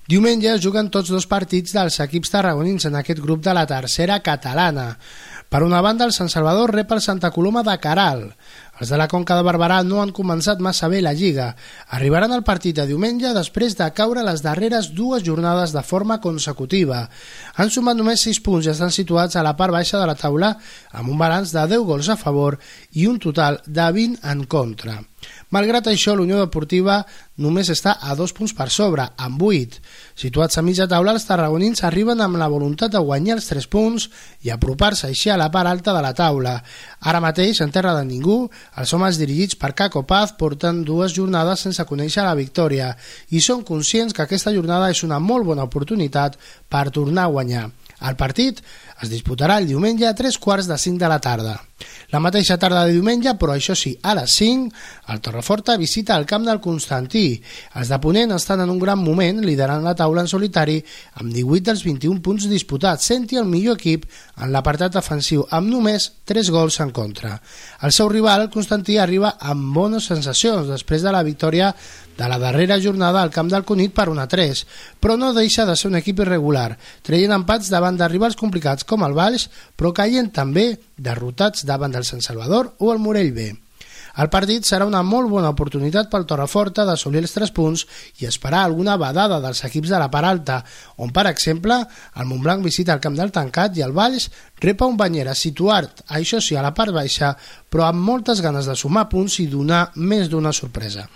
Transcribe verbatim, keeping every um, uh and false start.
Diumenge es juguen tots dos partits dels equips tarragonins en aquest grup de la tercera catalana. Per una banda, el Sant Salvador rep el Santa Coloma de Caral. Els de la Conca de Barberà no han començat massa bé la Lliga. Arribaran al partit de diumenge després de caure les darreres dues jornades de forma consecutiva. Han sumat només sis punts i estan situats a la part baixa de la taula amb un balanç de deu gols a favor i un total de vint en contra. Malgrat això, l'Unió Deportiva només està a dos punts per sobre, amb vuit. Situats a mitja taula, els tarragonins arriben amb la voluntat de guanyar els tres punts i apropar-se així a la part alta de la taula. Ara mateix, en terra de ningú, els homes dirigits per Caco Paz porten dues jornades sense conèixer la victòria i són conscients que aquesta jornada és una molt bona oportunitat per tornar a guanyar. El partit es disputarà el diumenge a tres quarts de cinc de la tarda. La mateixa tarda de diumenge, però això sí, a les cinc, el Torreforta visita el camp del Constantí. Els de Ponent estan en un gran moment, liderant la taula en solitari amb divuit dels vint-i-un punts disputats, sent el millor equip en l'apartat defensiu amb només tres gols en contra. El seu rival, el Constantí, arriba amb bones sensacions després de la victòria de la darrera jornada al camp del Cunit per un a tres, però no deixa de ser un equip irregular, traient empats davant de rivals complicats com el Valls, però caient també derrotats davant del Sant Salvador o el Morell B. El partit serà una molt bona oportunitat pel Torreforta d'assolir els tres punts i esperar alguna vedada dels equips de la part alta, on, per exemple, el Montblanc visita el camp del Tancat i el Valls rep a un Banyera situat, això sí, a la part baixa, però amb moltes ganes de sumar punts i donar més d'una sorpresa.